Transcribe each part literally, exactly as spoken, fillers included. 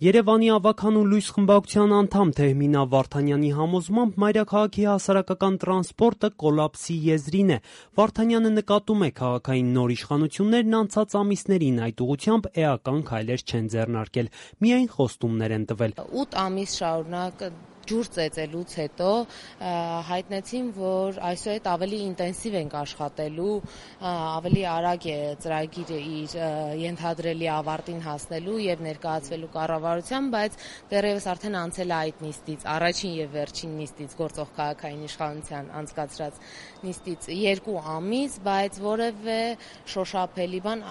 Երևանի ավագանու լույս խմբակցության անդամ Թեհմինա Վարդանյանի համոզմամբ մայրաքաղաքի հասարակական տրանսպորտը կոլապսի եզրին է։ Վարդանյանը նկատում է քաղաքային նոր իշխանություններն անցած ամիսներին այդ ուղղությամբ էական քայլեր չեն ձեռնարկել, միայն խոստումներ են տվել։ ութ ամիս շարունակ ջուր ծեծելուց հետո հայտնեցին, որ այսուհետ ավելի ինտենսիվ ենք աշխատելու, ավելի արագ է ծրագիրը իր ենթադրելի ավարտին հասնելու եւ ներկայացվելու կառավարության, բայց դեռևս արդեն անցել է այդ նիստից, առաջին եւ վերջին նիստից, գործող քաղաքային իշխանության անցկացրած նիստից երկու ամիս, բայց որևէ շոշափելի բան,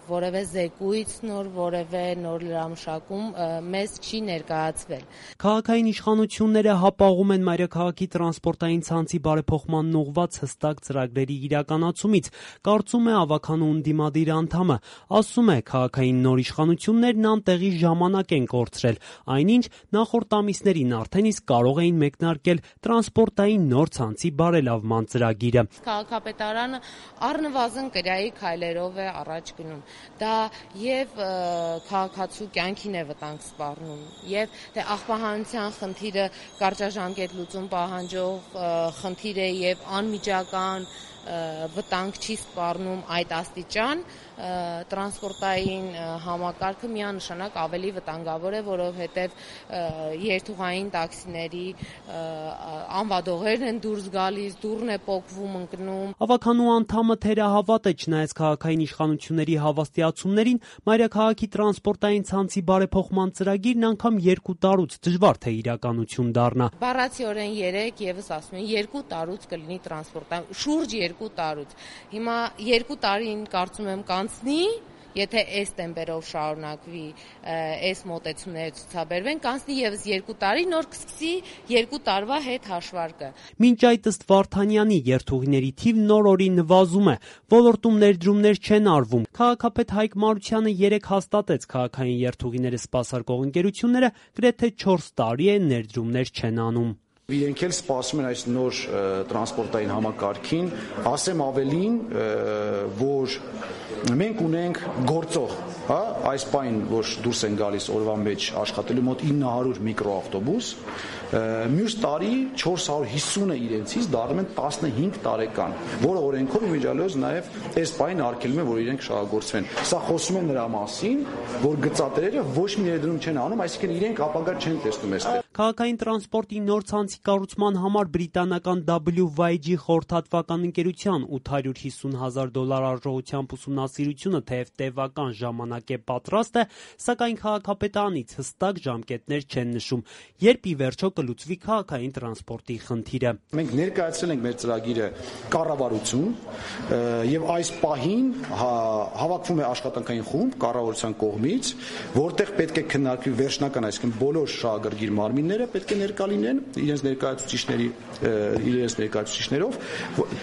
որևէ զեկույց նոր, որևէ նոր լրամշակում մեզ չի ներկայացվել։ Քաղաքային իշխանությունները հապաղում են մայրաքաղաքի տրանսպորտային ցանցի բարեփոխմանն ուղղված հստակ ծրագրերի իրականացումից, կարծում է ավագանու ընդդիմադիր անդամը, ասում է քաղաքային նոր իշխանություններն անտեղի ժամանակ են կորցրել, այնինչ նախորդ ամիսներին արդեն իսկ կարող էին մեկնարկել տրանսպորտային նոր ցանցի բարելավման ծրագիրը։ Քաղաքապետարանը առնվազն կրայի քայլերով է առաջ գնում։ Դա եւ քաղաքացու կյանքին է վտանգ սպառնում, եւ թե աղբահանության խնդիրը կարճաժամկետ լուծում պահանջող խնդիր է եւ անմիջական վտանգ չի սպառնում այդ աստիճան, տրանսպորտային համակարգը միանշանակ ավելի վտանգավոր է, որովհետև երթուղային տաքսիների անվադողերն են դուրս գալիս, դուռն է պոկվում, ընկնում։ Ավագանու անդամը թերահավատ է, չնայած քաղաքային իշխանությունների հավաստիացումներին, մայրաքաղաքի տրանսպորտային ցանցի բարեփոխման ծրագիրն անգամ երկու տարուց դժվար թե իրականություն դառնա։ Բառացիորեն երեք եւս ասում են երկու տարուց կլինի տրանսպորտային, շուրջ երկու տարուց։ Հիմա երկու տարին կարծում եմ կանցնի, եթե այս տեմպերով շարունակվի, այս մոտեցումները ցուցաբերվեն, կանցնի եւս երկու տարի, նոր կսկսի երկու տարվա հետ հաշվարկը։ Մինչ այդ ըստ Վարդանյանի երթուղիների թիվն օր-օրի նվազում է, ոլորտում ներդրումներ չեն արվում։ Քաղաքապետ Հայկ Մարությանը երեկ հաստատեց քաղաքային երթուղիները սպասարկող ընկերությունները գրեթե չորս տարի է ներդրումներ չեն անում։ Իրենք էլ սպասում են այս նոր տրանսպորտային համակարգին, ասեմ ավելին, որ մենք ունենք գործող, հա, այս պայն, որ դուրս են գալիս օրվա մեջ աշխատելու մոտ ինը հարյուր միկրոավտոբուս, մյուս տարի չորս հարյուր հիսունը իրենցից դառնում են տասնհինգ տարեկան, որը օրենքով իմիջիալոց նաև այս պայն արգելում է, որ իրենք շահագործվեն։ Սա խոսում է նրա մասին, որ գծատերերը ոչ մի ներդրում չեն անում, այսինքն իրենք ապագա չեն տեսնում այստեղ։ Քաղաքային տրանսպորտի նոր ցանցի կառուցման համար բրիտանական W Y G խորհրդատվական ընկերության ութ հարյուր հիսուն հազար դոլար արժողությամբ ուսումնասիրությունը թեև տևական ժամանակ է պատրաստ է, սակայն քաղաքապետարանից հստակ ժամկետներ չեն նշում, երբ ի վերջո կլուծվի քաղաքային տրանսպորտի խնդիրը։ Մենք ներկայացրել ենք մեր ծրագիրը կառավարություն եւ այս պահին հավաքվում է աշխատանքային խումբ կառավարության կողմից, որտեղ պետք է քննարկվի վերջնական, այսինքն բոլոր շահագրգիռ մարմինները պետք է ներկա լինեն իրենց ներկայացուցիչների իրենց ներկայացուցիչներով,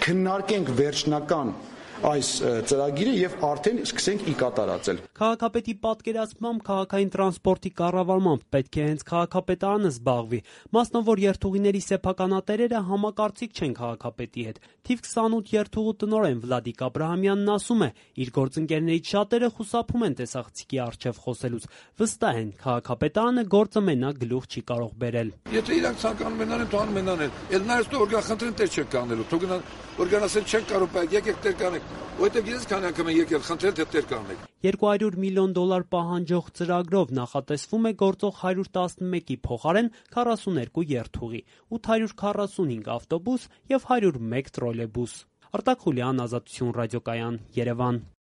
քննարկենք վերջնական այս ծրագիրը եւ արդեն սկսենք ի կատարածել։ Քաղաքապետի պատկերացմամբ քաղաքային տրանսպորտի կառավարմամբ պետք է հենց քաղաքապետարանը զբաղվի, մասնավոր երթուղիների սեփականատերերը համակարծիք չեն քաղաքապետի հետ։ Թիվ քսանութ երթուղու տնօրեն Վլադիկ Աբրահամյանն ասում է, իր գործընկերներից շատերը խուսափում են տեսախցիկի առջև խոսելուց, վստահ են, քաղաքապետարանը գործը մենակ գլուխ չի կարող բերել։ Եթե իրանք ցանկանում են անեն, թող անեն անեն։ Էլ նայած դու օրգան խնդրեն տեր չեն կանելու, թող գնան օրգանասել չեն կարող, բայց եկեք տեր կանեք։ Որտեղ գիտես քանի անգամ են եկել խնդրել թե տեր կանեք։ երկու հարյուր միլիոն դոլար պահանջող ծրագրով նախատեսվում է գործող հարյուր տասնմեկի փոխարեն քառասուներկու երթուղի, ութ հարյուր քառասունհինգ ավտոբուս եւ հարյուր մեկ տրոլեյբուս։ Արտակ Խուլյան, Ազատություն ռադիոկայան, Երևան։